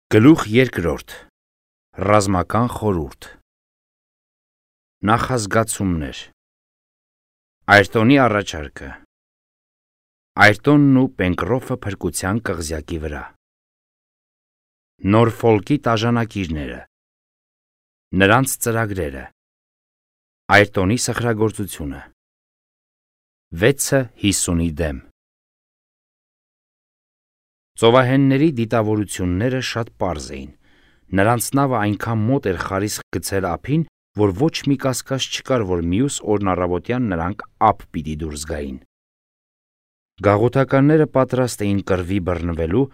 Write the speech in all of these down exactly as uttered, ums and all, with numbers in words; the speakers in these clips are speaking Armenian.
Գլուխ երկրորդ. Ռազմական խորհուրդ. Նախազգացումներ. Այրտոնի առաջարկը. Այրտոնն ու Պենկրոֆը փրկության կղզյակի վրա. Նորֆոլկի տաժանակիրները. Նրանց ծրագրերը. Այրտոնի սխրագործությունը. վեցը հիսունի դեմ. Ծովահենների դիտավորությունները շատ պարզ էին. նրանց նավը այնքան մոտ էր խարիսխ գցել ափին, որ ոչ մի կասկած չկար, որ մյուս օրն առավոտյան նրանք ափ պիտի դուրս գային։ Գաղութականները պատրաստ էին կռվի բռնվելու,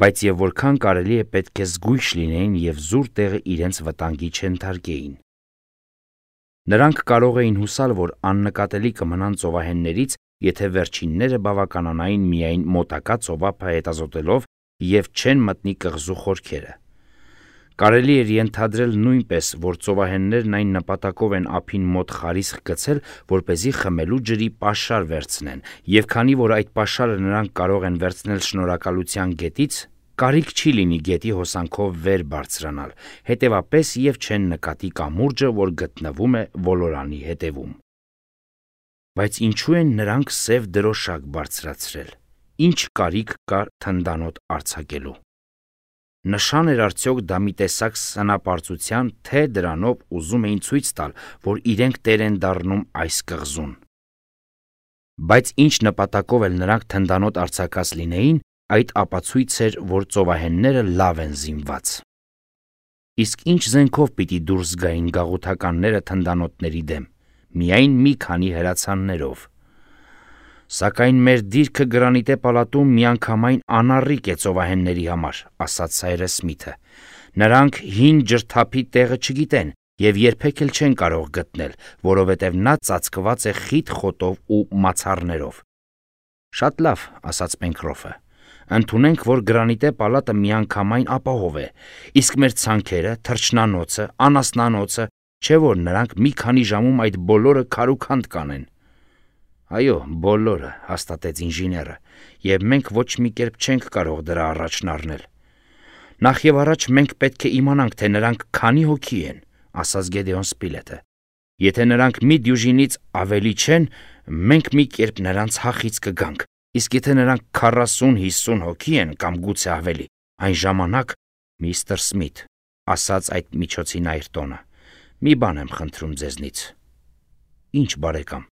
բայց եւ որքան կարելի է պետք է զգույշ լինեին եւ զուր տեղը իրենց վտանգի չենթարկեին։ Նրանք կարող էին հուսալ, որ աննկատելի կմնան ծովահեններից, եթե վերջինները բավականանային միայն մոտակա ծովափը հետազոտելով եւ չեն մտնի կղզու խորքերը։ Կարելի էր ենթադրել նույնպես, որ ծովահեններն այն նպատակով են ափին մոտ խարիսխ գցել, որպեսզի խմելու ջրի պաշար վերցնեն, եւ քանի որ այդ պաշարը նրանք կարող են վերցնել շնորհակալության գետից, կարիք չի լինի գետի հոսանքով վեր բարձրանալ, հետեւապես եւ չեն նկատի կամուրջը, որ գտնվում է ոլորանի հետևում։ Բայց ինչու են նրանք սև դրոշակ բարձրացրել։ Ինչ կարիք կար թնդանոտ արձակելու։ Նշան էր արդյոք դա մի տեսակ սնապարծության, թե դրանով ուզում էին ցույց տալ, որ իրենք տեր են դառնում այս կղզուն։ Բայց ինչ նպատակով էլ նրանք թնդանոտ արձակած լինեին, այդ ապացույց էր, որ ծովահենները լավ են զինված։ Իսկ ինչ զենքով պիտի դուրս գային գաղութականները թնդանոթների դեմ։ Միայն մի քանի հրացաններով։ Սակայն մեր դիրքը Գրանիտե պալատում միանգամայն անառիկ է ծովահենների համար, ասաց Սայրես Սմիթը։ Նրանք հին ջրթափի տեղը չգիտեն եւ երբեք էլ չեն կարող գտնել, որովհետեւ նա ծածկված է խիտ խոտով ու մացառներով։ Շատ լավ, ասաց Պենկրոֆը։ Ընդունենք, որ Գրանիտե պալատը միանգամայն ապահով է, իսկ մեր ցանքերը, թռչնանոցը, անասնանոցը, չէ՞ որ նրանք մի քանի ժամում այդ բոլորը քարուքանդ կանեն։ Այո, բոլորը, հաստատեց ինժեները, եւ մենք ոչ մի կերպ չենք կարող դրա առաջն առնել։ Նախ եւ առաջ մենք պետք է իմանանք, թե նրանք քանի հոգի են, ասաց Գեդեոն Սպիլետը։ Եթե նրանք մի դյուժինից ավելի չեն, մենք մի կերպ նրանց հախից կգանք, իսկ եթե նրանք քառասուն-հիսուն հոգի են կամ գուցե ավելի, այն ժամանակ, միստր Սմիթ, ասաց այդ միջոցին Այրտոնը, մի բան եմ խնդրում ձեզնից։ Ինչ, բարեկամ։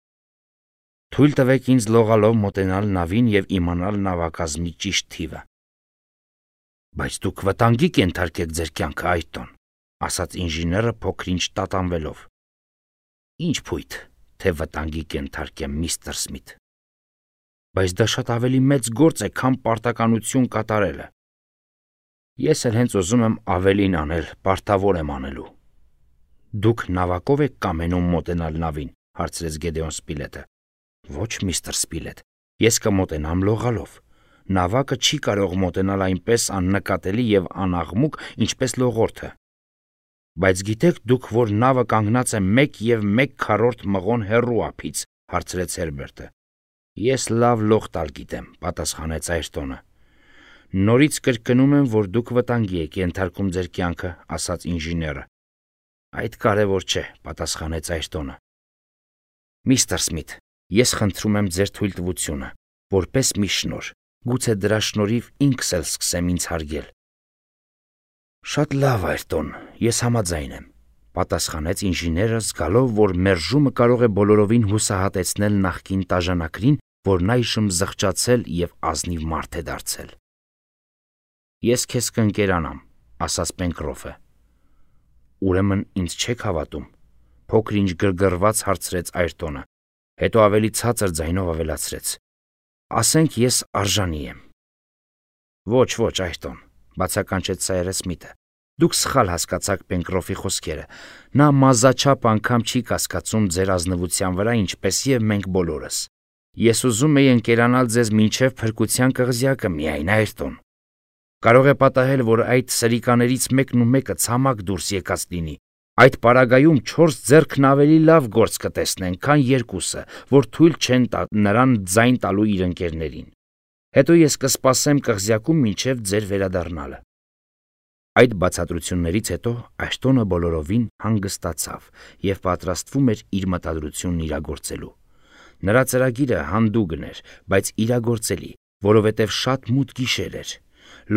Թույլ տվեք ինձ լողալով մոտենալ նավին եւ իմանալ նավակազմի ճիշտ թիվը։ Բայց դուք վտանգի կենթարկեք ձեր կյանքը, Այրտոն, ասաց ինժեները փոքրինչ տատանվելով։ Ինչ փույթ, թե վտանգի կենթարկեմ, միստր Սմիթ։ Բայց դա շատ ավելի մեծ գործ է, քան պարտականություն կատարելը։ Ես էլ հենց ուզում եմ ավելին անել, պարտավոր եմ անելու։ Դուք նավակով եք կամենում մոտենալ նավին, հարցրեց Գեդեոն Սպիլետը։ Ոչ, միստր Սպիլետ, ես կմոտենամ լողալով։ Նավակը չի կարող մոտենալ այնպես աննկատելի եւ անաղմուկ, ինչպես լողորդը։ Բայց գիտեք դուք, որ նավը կանգնած է մեկ եւ մեկ քառորդ մղոն հեռու ափից, հարցրեց Հերբերտը։ Ես լավ լող տալ գիտեմ, պատասխանեց Այրտոնը։ Նորից կրկնում եմ, որ դուք վտանգի եք ենթարկում ձեր կյանքը, ասաց ինժեները։ Այդ կարևոր չէ, պատասխանեց Այրտոնը։ Միստր Սմիթ, ես խնդրում եմ ձեր թույլտվությունը, որպես մի շնոր, գուցե դրա շնորհիվ ինքս էլ սկսեմ ինձ հարգել։ Շատ լավ, Այրտոն, ես համաձայն եմ, պատասխանեց ինժեները, զգալով, որ մերժումը կարող է բոլորովին հուսահատեցնել նախկին տաժանակրին, որն այժմ զղջացել եւ ազնիվ մարդ է դարձել։ Ես քեզ կընկերանամ, ասաց Պենկրոֆը։ Ուրեմն ինձ չեք հավատում, փոքրինչ գրգռված հարցրեց Այրտոնը, հետո ավելի ցածր ձայնով ավելացրեց. Ասենք ես արժանի եմ։ Ոչ, ոչ, Այրտոն, բացականչեց Սայրես Սմիթը։ Դուք սխալ հասկացաք Պենկրոֆի խոսքերը։ Նա մազաչափ անգամ չի կասկածում ձեր ազնվության վրա, ինչպես եւ մենք բոլորս։ Ես ուզում եի ընկերանալ ձեզ մինչև փրկության կղզյակը միայն, Այրտոն։ Կարող է պատահել, որ այդ սրիկաներից մեկն ու մեկը ցամաք դուրս եկած լինի։ Այդ պարագայում չորս ձեռքն ավելի լավ գործ կտեսնեն, քան երկուսը, որ թույլ չեն տա նրան ձայն տալու իր ընկերներին։ Հետո ես կսպասեմ կղզյակում մինչև ձեր վերադառնալը։ Այդ բացատրություններից հետո Աշտոնը բոլորովին հանգստացավ և պատրաստվում էր իր մտադրությունն իրագործելու։ Նրա ծրագիրը հանդուգն էր, բայց իրագործելի, որովհետև շատ մութ գիշեր էր։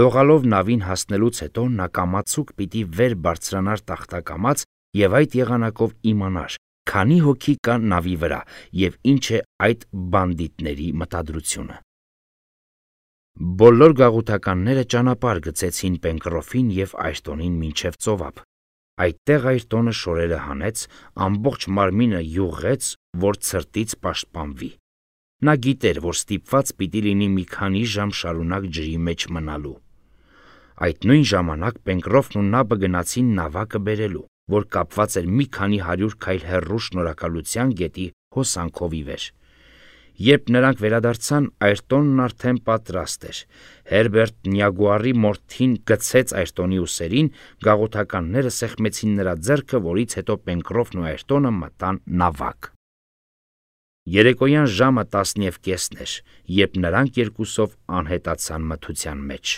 Լողալով նավին հասնելուց հետո նա կամացուկ պիտի վեր բարձրանար տախտակամած և այդ եղանակով իմանար, քանի հոգի կա նավի վրա և ինչ է այդ բանդիտների մտադրությունը։ Բոլոր գաղութականները ճանապարհ գծեցին Պենկրոֆին և Այրտոնին մինչև ծովափ։ Այդտեղ Այրտոնը շորերը հանեց, ամբողջ մարմինը յուղղեց, որ ցրտից պաշտպանվի։ Նա գիտեր, որ ստիպված պիտի լինի մի քանի ժամ շարունակ ջրի մեջ մնալու։ Այդ նույն ժամանակ Պենկրոֆն ու Նաբը գնացին նավակը բերելու, որ կապված էր մի քանի հարյուր քայլ հեռու Շնորհակալության գետի հոսանքով ի վեր։ Երբ նրանք վերադարձան, Այրտոնն արդեն պատրաստ էր։ Հերբերտ Նյագուարի մորթին գցեց Այրտոնի ուսերին, գաղութականները սեղմեցին նրա ձեռքը, որից հետո Պենկրոֆն ու Այրտոնը մտան նավակ։ Երեկոյան ժամը տասն և կեսն էր, երբ նրանք երկուսով անհետացան մթության մեջ։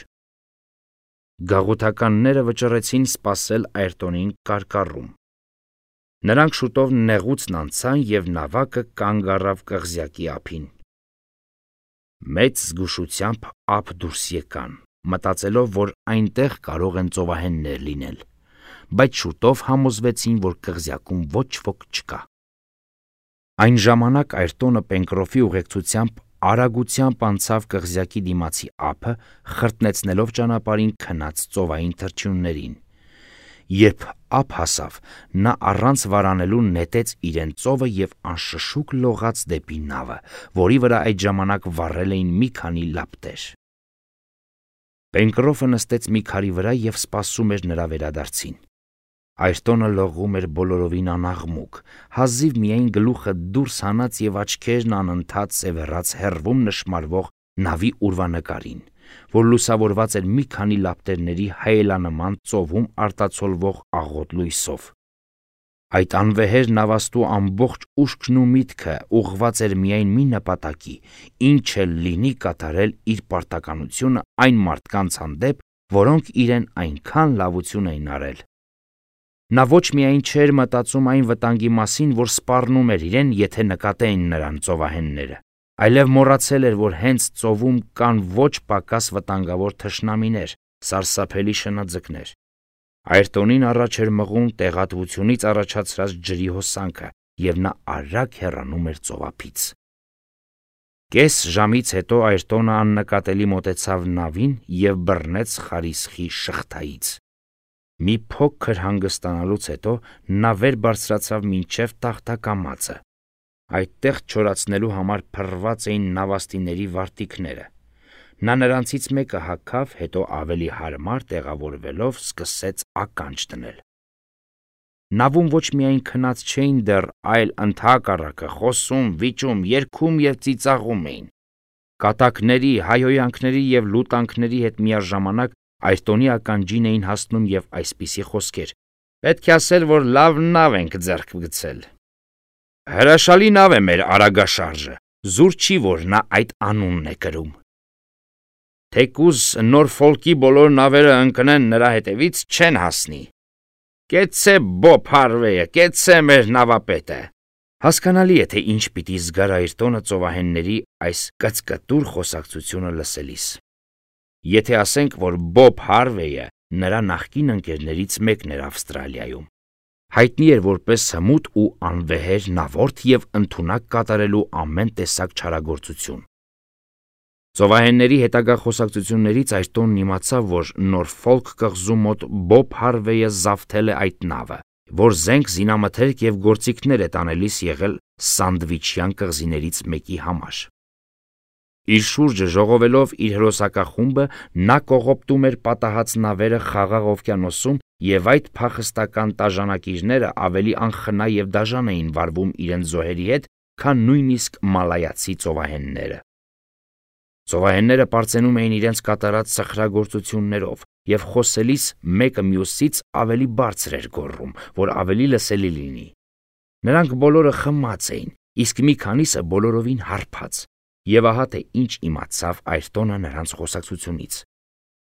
Գաղութականները վճռեցին սպասել Այրտոնին կարկառում։ Նրանք շուտով նեղուցն անցան և նավակը կանգ առավ կղզյակի ափին։ Մեծ զգուշությամբ ափ դուրս եկան, մտածելով, որ այնտեղ կարող են ծովահեններ լինել, բայց շուտով համոզվեցին, որ կղզյակում ոչ ոք չկա։ Այն ժամանակ Այրտոնը Պենկրոֆի ուղեկցությամբ արագությամբ անցավ կղզյակի դիմացի ափը, խրտնեցնելով ճանապարհին քնած ծովային թռչուններին։ Երբ ափ հասավ, նա առանց վարանելու նետեց իրեն ծովը և անշշուկ լողաց դեպի նավը, որի վրա այդ ժամանակ վառել էին մի քանի լապտեր։ Պենկրոֆը նստեց մի քարի վրա և սպասում էր նրա վերադարձին։ Այրտոնը լողում էր բոլորովին անաղմուկ, հազիվ միայն գլուխը դուրս հանած և աչքերն անընդհատ սևեռած հեռվում նշմարվող նավի ուրվանկարին, որ լուսավորված էր մի քանի լապտերների հայելանման ծովում արտացոլվող աղոտ լույսով։ Այդ անվեհեր նավաստու ամբողջ ուշքն ու միտքը ուղղված էր միայն մի նպատակի՝ ինչ էլ լինի կատարել իր պարտականությունը այն մարդկանց հանդեպ, որոնք իրեն այնքան լավություն էին արել։ Նա ոչ միայն չէր մտածում այն վտանգի մասին, որ սպառնում էր իրեն, եթե նկատեին նրան ծովահենները, այլև մոռացել էր, որ հենց ծովում կան ոչ պակաս վտանգավոր թշնամիներ, սարսափելի շնաձկներ։ Այրտոնին առաջ էր մղում տեղատվությունից առաջացած ջրի հոսանքը, և նա արագ հեռանում էր ծովափից։ Կես ժամից հետո Այրտոնը աննկատելի մոտեցավ նավին և բռնեց խարիսխի շղթայից։ Մի փոքր հանգստանալուց հետո նա վեր բարձրացավ մինչև տախտակամածը։ Այդտեղ չորացնելու համար փռված էին նավաստիների վարտիքները։ Նա նրանցից մեկը հագավ, հետո ավելի հարմար տեղավորվելով սկսեց ականջ դնել։ Նավում ոչ միայն քնած չէին դեռ, այլ ընդհակառակը խոսում, վիճում, երգում և ծիծաղում էին։ Կատակների, հայհոյանքների և լուտանքների հետ միաժամանակ Այրտոնի ականջին էին հասնում և այսպիսի խոսքեր. «Պետք է ասել, որ լավ նավ ենք ձեռք գցել»։ «Հրաշալի նավ է մեր Արագաշարժը, զուր չի, որ նա այդ անունն է կրում»։ «Թեկուզ Նորֆոլկի բոլոր նավերը ընկնեն նրա հետևից, չեն հասնի»։ «Կեցցե Բոբ Հարվեյը, կեցցե մեր նավապետը»։ Հասկանալի է, թե ինչ պիտի զգար Այրտոնը ծովահենների այս կծկտուր խոսակցությունը լսելիս։ Եթե ասենք, որ Բոբ Հարվեյը նրա նախկին ընկերներից մեկն էր Ավստրալիայում, հայտնի էր որպես հմուտ ու անվեհեր նավորդ և ընդունակ կատարելու ամեն տեսակ չարագործություն։ Ծովահենների հետագա խոսակցություններից Այրտոնն իմացավ, որ Նորֆոլք կղզու մոտ Բոբ Հարվեյը զավթել է այդ նավը, որ զենք զինամթերք և գործիքներ է տանելիս եղել Սանդվիչյան կղզիներից մեկի համար։ Իր շուրջը ժողովելով իր հրոսակախումբը, նա կողոպտում էր պատահած նավերը Խաղաղ օվկիանոսում, և այդ փախստական տաժանակիրները ավելի անխնա և դաժան էին վարվում իրենց զոհերի հետ, քան նույնիսկ մալայացի ծովահենները։ Ծովահենները պարծենում էին իրենց կատարած սխրագործություններով և խոսելիս մեկը մյուսից ավելի բարձր էր գոռում, որ ավելի լսելի լինի։ Նրանք բոլորը խմած էին, իսկ մի քանիսը բոլորովին հարբած, և ահա թե ինչ իմացավ Այրտոնը նրանց խոսակցությունից։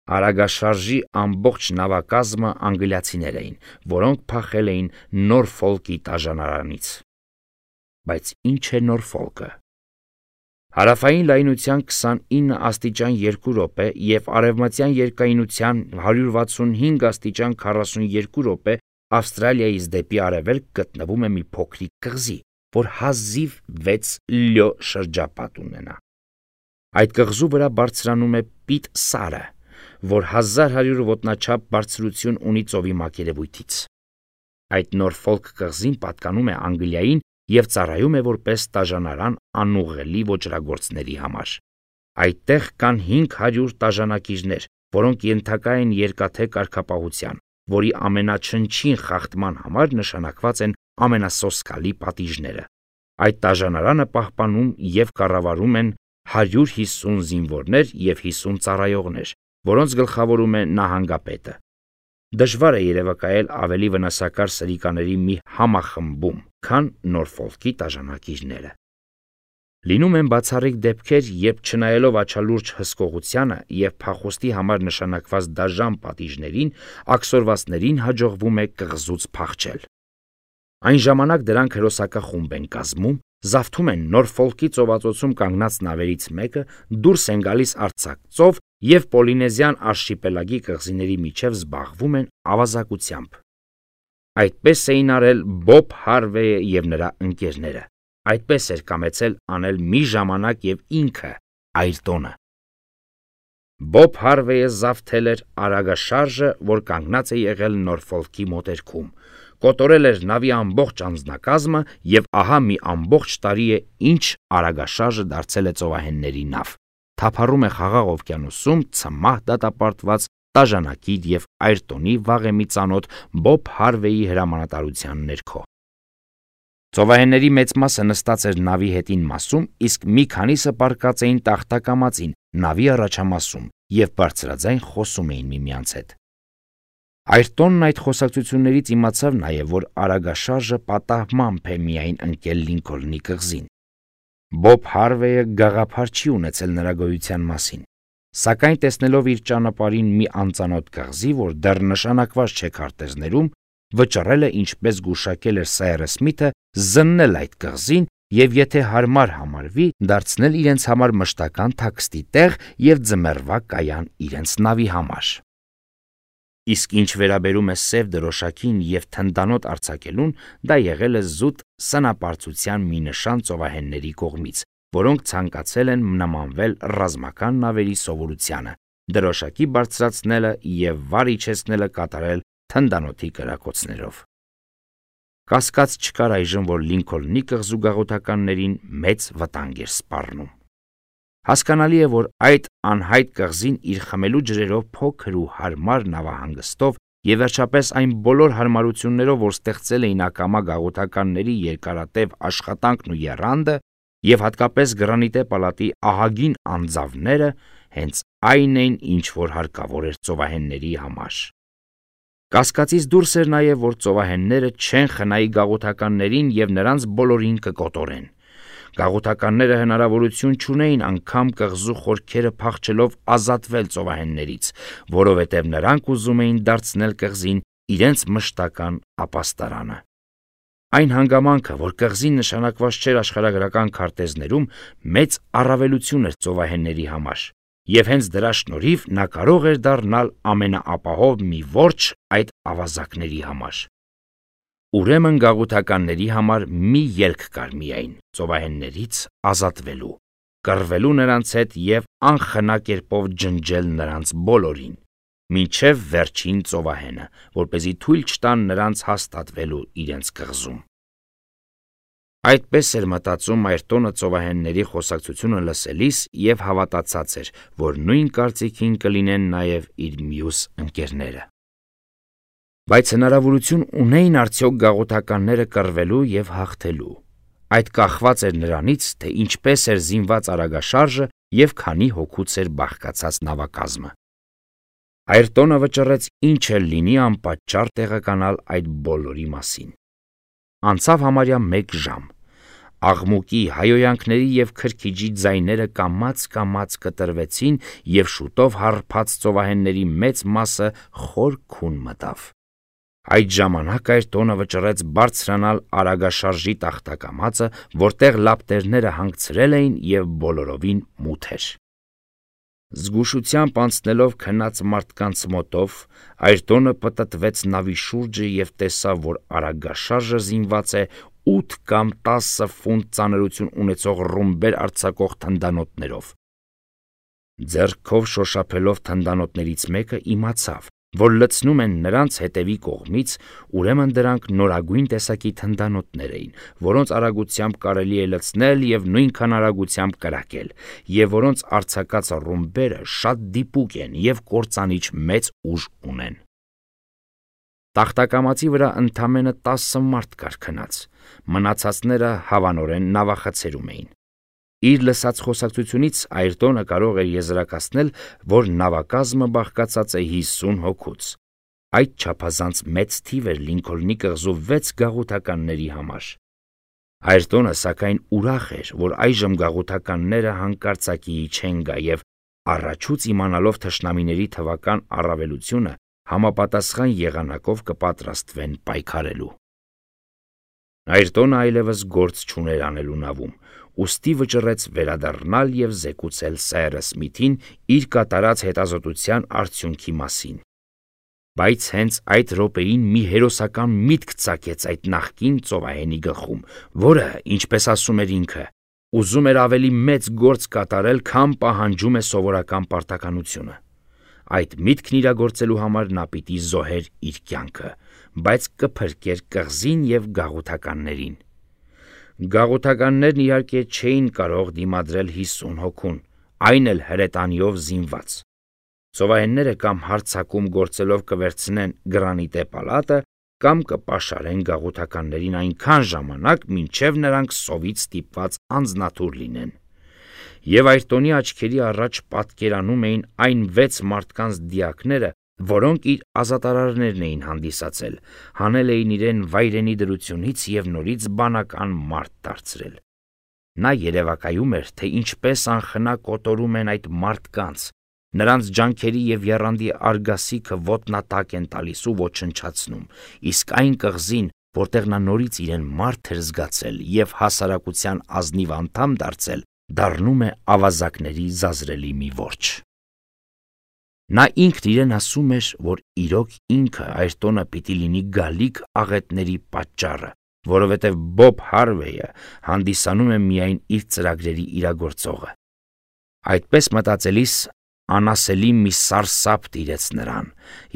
Արագաշարժի ամբողջ նավակազմը անգլիացիներ էին, որոնք փախել էին Նորֆոլկի տաժանարանից։ Բայց ինչ է Նորֆոլկը։ Հարավային լայնության քսանինը աստիճան երկու րոպե և արևմտյան երկայնության հարյուր վաթսունհինգ աստիճան քառասունյոթ րոպե Ավստրալիայից դեպի արևելք գտնվում է մի փոքրիկ կղզի, որ հազիվ վեց լյո շրջապատ ունենա։ Այդ կղզու վրա բարձրանում է Պիտ սարը, որ հազար հարյուր ոտնաչափ բարձրություն ունի ծովի մակերևույթից։ Այդ Նորֆոլկ կղզին պատկանում է Անգլիային և ծառայում է որպես տաժանարան անուղղելի ոճրագործների համար։ Այդտեղ կան հինգ հարյուր տաժանակիրներ, որոնք ենթակա են երկաթե կարգապահության, որի ամենաչնչին խախտման համար նշանակված են ամենասոսկալի պատիժները։ Այդ տաժանարանը պահպանում և կառավարում են հարյուր հիսուն զինվորներ և հիսուն ծառայողներ, որոնց գլխավորում է նահանգապետը։ Դժվար է երևակայել ավելի վնասակար սրիկաների մի համախմբում, քան Նորֆոլկի տաժանակիրները։ Լինում են բացառիկ դեպքեր, երբ չնայելով աչալուրջ հսկողությանը և փախուստի համար նշանակված դաժան պատիժներին, աքսորվածներին հաջողվում է կղզուց փախչել։ Այն ժամանակ դրանք հրոսակախումբ են կազմում, զավթում են Նորֆոլկի ծովածոցում կանգնած նավերից մեկը, դուրս են գալիս արձակ ծով և Պոլինեզիան արշիպելագի կղզիների միջև զբաղվում են ավազակությամբ։ Այդպես էին արել Բոբ Հարվեյը և նրա ընկերները։ Այդպես էր կամեցել անել մի ժամանակ և ինքը Այրտոնը։ Բոբ Հարվեյը զավթել էր արագաշարժը, որ կանգնած է եղել Նորֆոլկի մոտերքում, կոտորել էր նավի ամբողջ անձնակազմը և ահա մի ամբողջ տարի է, ինչ արագաշարժը դարձել է ծովահենների նավ, թափառում է Խաղաղ օվկիանոսում ցմահ դատապարտված տաժանակիր և Այրտոնի վաղեմի ծանոթ Բոբ Հարվեյի հրամանատարության ներքո։ Ծովահենների մեծ մասը նստած էր նավի հետին մասում, իսկ մի քանիսը պառկած էին տախտակամածին նավի առաջամասում և բարձրաձայն խոսում էին միմյանց հետ։ Այրտոնն այդ խոսակցություններից իմացավ նաև, որ արագաշարժը պատահմամբ է միայն ընկել Լինքոլնի կղզին։ Բոբ Հարվեյը գաղափար չի ունեցել նրա գոյության մասին, սակայն տեսնելով իր ճանապարհին մի անծանոթ կղզի, որ դեռ նշանակված չէ քարտեզներում, վճռել է, ինչպես գուշակել էր Սայրս Սմիթը, զննել այդ կղզին և եթե հարմար համարվի, դարձնել իրենց համար մշտական թաքստի տեղ և ձմեռվա կայան իրենց նավի համար։ Իսկ ինչ վերաբերում է սև դրոշակին և թնդանոթ արձակելուն, դա եղել է զուտ սնապարծության մի նշան ծովահենների կողմից, որոնք ցանկացել են նմանվել ռազմական նավերի սովորությանը, դրոշակի բարձրացնելը և վար իջեցնելը կատարել թնդանոթի կրակոցներով։ Կասկած չկար այժմ, որ Լինքոլնի կղզու գաղութականներին մեծ վտանգ էր սպառնում։ Հասկանալի է, որ այդ անհայտ կղզին իր խմելու ջրերով, փոքր ու հարմար նավահանգստով և վերջապես այն բոլոր հարմարություններով, որ ստեղծել էին ակամա գաղութականների երկարատև աշխատանքն ու եռանդը, և հատկապես Գրանիտե պալատի ահագին անձավները, հենց այն էին, ինչ որ հարկավոր էր ծովահենների համար։ Կասկածից դուրս էր նաև, որ ծովահենները չեն խնայի գաղութականներին և նրանց բոլորին կկոտորեն։ Գաղութականները հնարավորություն չունեին անգամ կղզու խորքերը փախչելով ազատվել ծովահեններից, որովհետև նրանք ուզում էին դարձնել կղզին իրենց մշտական ապաստարանը։ Այն հանգամանքը, որ կղզին նշանակված չէր աշխարհագրական քարտեզներում, մեծ առավելություն էր ծովահենների համար, և հենց դրա շնորհիվ նա կարող էր դառնալ ամենաապահով մի որջ այդ ավազակների համար։ Ուրեմն գաղութականների համար մի ելք կար միայն՝ ծովահեններից ազատվելու, կռվելու նրանց հետ և անխնա կերպով ջնջել նրանց բոլորին, մինչև վերջին ծովահենը, որպեսզի թույլ չտան նրանց հաստատվելու իրենց կղզում։ Այդպես էր մտածում Այրտոնը ծովահենների խոսակցությունը լսելիս և հավատացած էր, որ նույն կարծիքին կլինեն նաև իր մյուս ընկերները։ Բայց հնարավորություն ունեին արդյոք գաղութականները կռվելու և հաղթելու։ Այդ կախված էր նրանից, թե ինչպես էր զինված արագաշարժը և քանի հոգուց էր բաղկացած նավակազմը։ Այրտոնը վճռեց ինչ էլ լինի անպատճառ տեղեկանալ այդ բոլորի մասին։ Անցավ համարյա մեկ ժամ։ աղմուկի, հայոյանքների և քրքիջի ձայները կամաց-կամաց կտրվեցին և շուտով հարբած ծովահենների մեծ մասը խոր քուն մտավ։ Այդ ժամանակ Այրտոնը վճռեց բարձրանալ արագաշարժի տախտակամածը, որտեղ լապտերները հանգցրել էին և բոլորովին մութ էր։ Զգուշությամբ անցնելով քնած մարդկանց մոտով, Այրտոնը պտտվեց նավի շուրջը և տեսավ, որ արագաշարժը զինված է ութ կամ տասը ֆունտ ծանրություն ունեցող ռումբեր արձակող թնդանոթներով։ Ձեռքով շոշափելով թնդանոթներից մեկը, իմացավ, որ լցնում են նրանց հետևի կողմից, ուրեմն դրանք նորագույն տեսակի թնդանոթներ էին, որոնց արագությամբ կարելի է լցնել և նույնքան արագությամբ կրակել, և որոնց արձակած ռումբերը շատ դիպուկ են և կործանիչ մեծ ուժ ունեն։ Տախտակամածի վրա ընդամենը տասը մարդ կար քնած, մնացածները հավանորեն նավախցերում էին։ Իր լսած խոսակցությունից Այրտոնը կարող էր եզրակացնել, որ նավակազմը բաղկացած է հիսուն հոգուց։ Այդ չափազանց մեծ թիվ էր Լինքոլնի կղզու վեց գաղութականների համար։ Այրտոնը սակայն ուրախ էր, որ այժմ գաղութականները հանկարծակիի չեն գա և առաջուց իմանալով թշնամիների թվական առավելությունը, համապատասխան եղանակով կպատրաստվեն պայքարելու։ Այրտոնը այլևս գործ չուներ անելու նավում, ուստի վճռեց վերադառնալ և զեկուցել Սայրս Սմիթին իր կատարած հետազոտության արդյունքի մասին։ Բայց հենց այդ րոպեին մի հերոսական միտք ծագեց այդ նախկին ծովահենի գլխում, որը, ինչպես ասում էր ինքը, ուզում էր ավելի մեծ գործ կատարել, քան պահանջում է սովորական պարտականությունը։ Այդ միտքն իրագործելու համար նա պիտի զոհեր իր կյանքը, բայց կփրկեր կղզին և գաղութականներին։ Գաղութականներն իհարկե չէին կարող դիմադրել հիսուն հոգուն, այն էլ հրետանիով զինված։ Ծովահենները կամ հարձակում գործելով կվերցնեն գրանիտե պալատը, կամ կպաշարեն գաղութականներին այնքան ժամանակ, մինչև նրանք սովից ստիպված անձնաթուր լինեն։ Եվ Այրտոնի աչքերի առաջ պատկերանում էին այն վեց մարդկանց դիակները, որոնք իր ազատարարներն էին հանդիսացել, հանել էին իրեն վայրենի դրությունից և նորից բանական մարդ դարձրել։ Նա երևակայում էր, թե ինչպես անխնա կոտորում են այդ մարդկանց, նրանց ջանքերի և եռանդի արգասիքը ոտնատակ են տալիս ու ոչնչացնում, իսկ այն կղզին, որտեղ նա նորից իրեն մարդ էր զգացել և հասարակության ազնիվ անդամ դարձել, դառնում է ավազակների զազրելի մի որջ։ Նա ինքն իրեն ասում էր, որ իրոք ինքը Այրտոնը պիտի լինի գալիք աղետների պատճառը, որովհետև Բոբ Հարվեյը հանդիսանում է միայն իր ծրագրերի իրագործողը։ Այդպես մտածելիս անասելի մի սարսափ տիրեց նրան,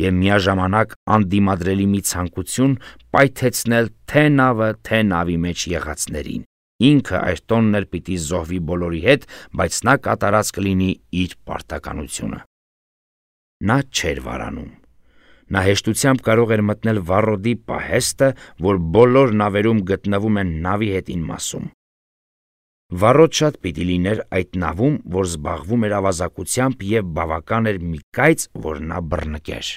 և միաժամանակ անդիմադրելի մի ցանկություն պայթեցնել թե նավը, թե նավի մեջ եղածներին։ Ինքը Այրտոնն էլ պիտի զոհվի բոլորի հետ, բայց նա կատարած կլինի իր պարտականությունը։ Նա չէր վարանում։ Նա հեշտությամբ կարող էր մտնել վառոդի պահեստը, որ բոլոր նավերում գտնվում են նավի հետին մասում։ Վառոդ շատ պիտի լիներ այդ նավում, որ զբաղվում էր ավազակությամբ, և բավական էր մի կայծ, որ նա բռնկեր։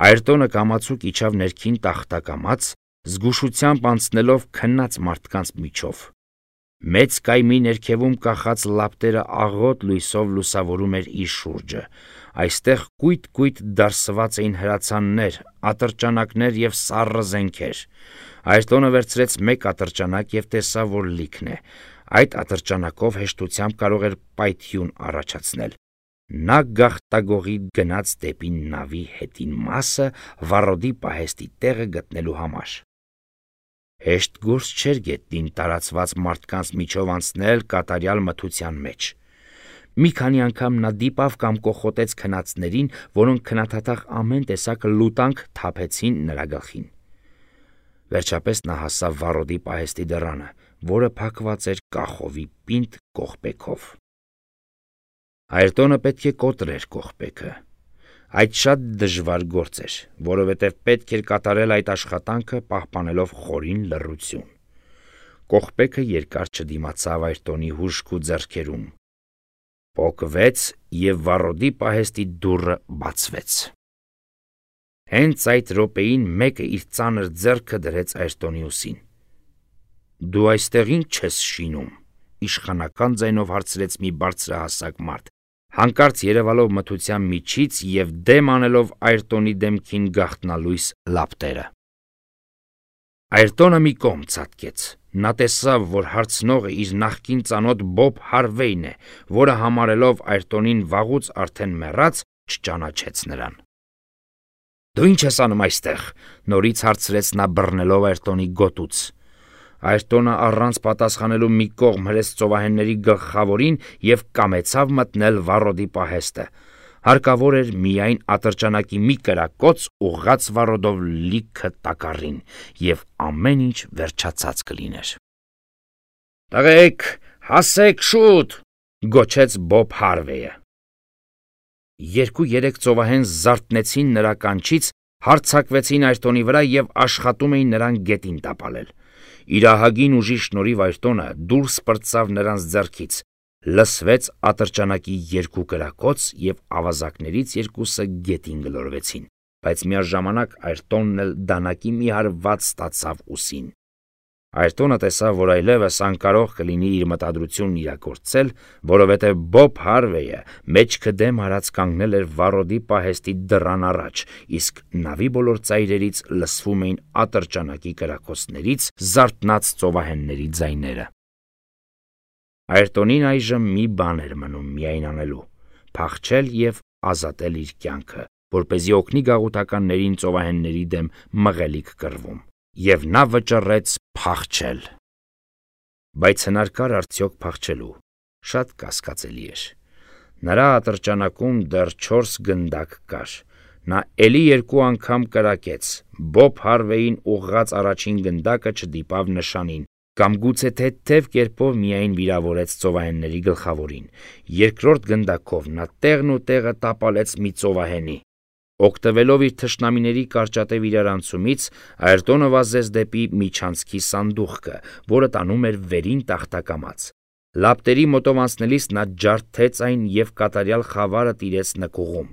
Այրտոնը կամացուկ իջավ ներքին տախտակամաց, զգուշությամբ անցնելով քնած մարդկանց միջով։ Մեծ կայմի ներքևում կախած լապտերը աղոտ լույսով լուսավորում էր իր շուրջը։ Այստեղ կույտ-կույտ դարսված էին հրացաններ, ատրճանակներ և սառը զենքեր։ Այրտոնը վերցրեց մեկ ատրճանակ և տեսավ, որ լիքն է։ Այդ ատրճանակով հեշտությամբ կարող էր պայթյուն առաջացնել։ Նա գաղտագողի գնաց դեպի նավի հետին մասը վառոդի պահեստի տեղը գտնելու համար։ Հեշտ գործ չէր գետնին տարածված մարդկանց միջով անցնել կատարյալ մթության մեջ։ Մի քանի անգամ նա դիպավ կամ կոխոտեց քնածներին, որոնք քնաթաթախ ամեն տեսակ լուտանք թափեցին նրա գլխին։ Վերջապես նա հասավ վառոդի պահեստի դռանը, որը փակված էր կախովի պինդ կողպեքով։ Այրտոնը պետք է կոտրեր կողպեքը։ Այդ շատ դժվար գործ էր, որովհետև պետք էր կատարել այդ աշխատանքը պահպանելով խորին լռություն։ Կողպեքը երկար չդիմացավ Այրտոնի հուժկու ձեռքերում, պոկվեց և վառոդի պահեստի դուռը բացվեց։ Հենց այդ րոպեին մեկը իր ծանր ձեռքը դրեց Այրտոնի ուսին։ Դու այստեղ ինչ ես շինում, իշխանական ձայնով հարցրեց մի բարձրահասակ մարդ, հանկարծ երևալով մթության միջից և դեմ անելով Այրտոնի դեմքին գաղտնալույս լապտերը։ Այրտոնը մի կողմ ցատկեց, նա տեսավ, որ հարցնողը իր նախկին ծանոթ Բոբ Հարվեյն է, որը համարելով Այրտոնին վաղուց արդեն մեռած, չճանաչեց նրան։ Դու ինչ ես անում այստեղ, նորից հարցրեց նա բռնելով Այրտոնի գոտուց։ Այրտոնը առանց պատասխանելու մի կողմ հրեց ծովահենների գլխավորին և կամեցավ մտնել վառոդի պահեստը։ Հարկավոր էր միայն ատրճանակի մի կրակոց ուղղած վառոդով լիքը տակառին, և ամեն ինչ վերջացած կլիներ։ Տղեկ, հասեք շուտ, գոչեց Բոբ Հարվեյը։ Երկու-երեք ծովահեն զարթնեցին նրա կանչից, հարձակվեցին Այրտոնի վրա և աշխատում էին նրան գետին տապալել։ Իր ահագին ուժի շնորհիվ Այրտոնը դուրս պրծավ նրանց ձեռքից, լսվեց ատրճանակի երկու կրակոց և ավազակներից երկուսը գետին գլորվեցին, բայց միաժամանակ Այրտոնն էլ դանակի մի հարված ստացավ ուսին։ Այրտոնը տեսավ, որ այլևս անկարող կլինի իր մտադրությունն իրագործել, որովհետև Բոբ Հարվեյը մեջքը դեմ արած կանգնել էր վառոդի պահեստի դռան առաջ, իսկ նավի բոլոր ծայրերից լսվում էին ատրճանակի կրակոցներից զարթնած ծովահենների ձայները։ Այրտոնին այժմ մի բան էր մնում միայն անելու՝ փախչել և ազատել իր կյանքը, որպեսզի օգնի գաղութականներին ծովահենների դեմ մղելիք կռվում, և նա վճռեց փախչել։ Բայց հնարքար արդյոք փախչելու։ Շատ կասկածելի էր։ Նրա ատրճանակում դեռ չորս գնդակ կար։ Նա էլի երկու անգամ կրակեց։ Բոբ Հարվեյին ուղղած առաջին գնդակը չդիպավ նշանին, կամ գուցե թեթև կերպով միայն վիրավորեց ծովահենների գլխավորին։ Երկրորդ գնդակով նա տեղն ու տեղը տապալեց մի ծովահենի։ Օգտվելով իր թշնամիների կարճատև իրարանցումից, Այրտոնը վազեց դեպի միջանցքի սանդուղքը, որը տանում էր վերին տախտակամած։ Լապտերի մոտով անցնելիս նա ջարդեց այն և կատարյալ խավարը տիրեց նկուղում։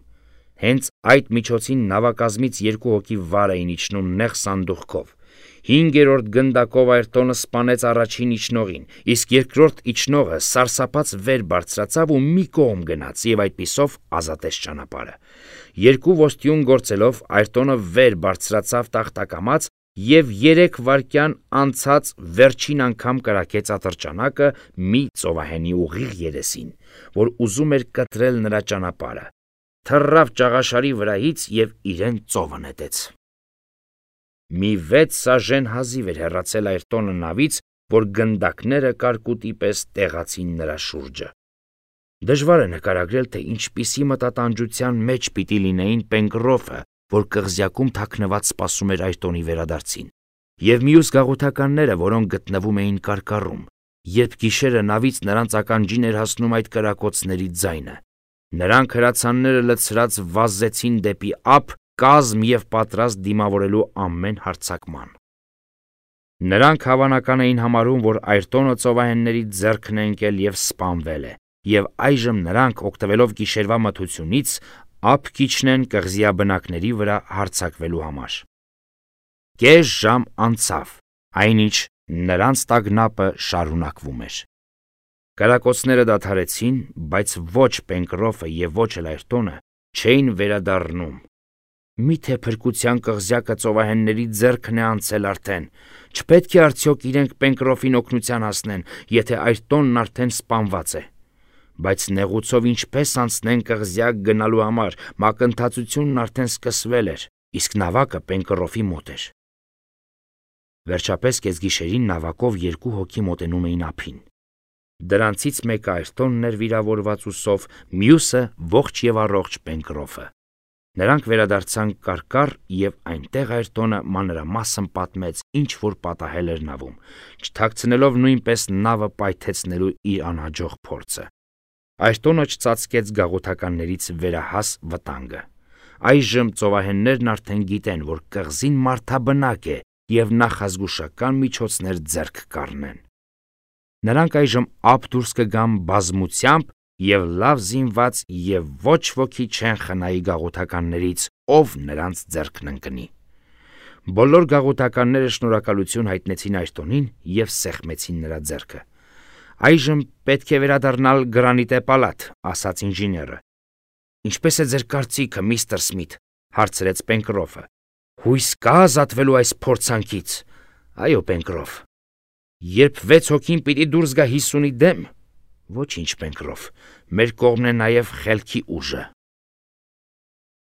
Հենց այդ միջոցին նավակազմից երկու հոգի վար էին իջնում նեղ սանդուղքով։ Հինգերորդ գնդակով Այրտոնը սպանեց առաջին իջնողին, իսկ երկրորդ իջնողը սարսափած վեր բարձրացավ ու մի կողմ գնաց և այդպիսով ազատեց ճանապարհը։ Երկու ոստիուն գործելով Այրտոնը վեր բարձրացավ տախտակամած և երեք վայրկյան անցած վերջին անգամ կրակեց ատրճանակը մի ծովահենի ուղիղ երեսին, որ ուզում էր կտրել նրա ճանապարհը, թռավ ճաղաշարի վրայից և իրեն ծովը նետեց։ Մի վեց սաժեն հազիվ էր հեռացել Այրտոնը նավից, որ գնդակները կարկուտի պես տեղացին նրա շուրջը։ Դժվար է նկարագրել, թե ինչպիսի մտատանջության մեջ պիտի լինեին Պենկրոֆը, որ կղզյակում թաքնված սպասում էր Այրտոնի վերադարձին, և մյուս գաղութականները, որոնք գտնվում էին կարկառում, երբ գիշերը նավից նրանց ականջին էր հասնում այդ կրակոցների ձայնը։ Նրանք հրացանները լցրած վազեցին դեպի ափ, կազմ և պատրաստ դիմավորելու ամեն հարձակման։ Նրանք հավանական էին համարում, որ Այրտոնը ծովահենների ձեռքն է ընկել և սպանվել է, և այժմ նրանք, օգտվելով գիշերվա մթությունից, ափ կիջնեն կղզիաբնակների վրա հարձակվելու համար։ Կես ժամ անցավ, այնինչ նրանց տագնապը շարունակվում էր։ Կրակոցները դադարեցին, բայց ոչ Պենկրոֆը և ոչ էլ Այրտոնը չէին վերադառնում։ Մի՞թե փրկության կղզյակը ծովահենների ձեռքն է անցել արդեն։ Չպետք է արդյոք իրենք Պենկրոֆին օգնության հասնեն, եթե Այրտոնն արդեն սպանված է։ Բայց նեղուցով ինչպես անցնեն կղզյակ գնալու համար, մակընթացությունն արդեն սկսվել էր, իսկ նավակը Պենկրոֆի մոտ էր։ Վերջապես կեսգիշերին նավակով երկու հոգի մոտենում էին ափին։ Դրանցից մեկը Այրտոնն էր վիրավորված ուսով, մյուսը ողջ և առողջ Պենկրոֆը։ Նրանք վերադարձան կարկառ, և այնտեղ Այրտոնը մանրամասն պատմեց, ինչ որ պատահել էր նավում, չթաքցնելով նույնպես նավը պայթեցնելու իր անհաջող փորձը։ Այրտոնը չծածկեց գաղութականներից վերահաս վտանգը։ Այժմ ծովահեններն արդեն գիտեն, որ կղզին մարդաբնակ է և նախազգուշական միջոցներ ձեռք կառնեն։ Նրանք այժմ ափ դուրս կգան բազմությամբ և լավ զինված, և ոչ ոքի չեն խնայի գաղութականներից, ով նրանց ձեռքն ընկնի։ Բոլոր գաղութականները շնորհակալություն հայտնեցին Այրտոնին և սեղմեցին նրա ձեռքը։ «Այժմ պետք է վերադառնալ Գրանիտե պալատ», ասաց ինժեները։ «Ինչպես է ձեր կարծիքը, միստր Սմիթ», հարցրեց Պենկրոֆը։ «Հույս կա ազատվելու այս փորձանքից»։ «Այո, Պենկրոֆ»։ «Երբ վեց հոգին պիտի դուրս գա հիսունի դեմ»։ «Ոչինչ, Պենկրոֆ, մեր կողմն է նաև խելքի ուժը»։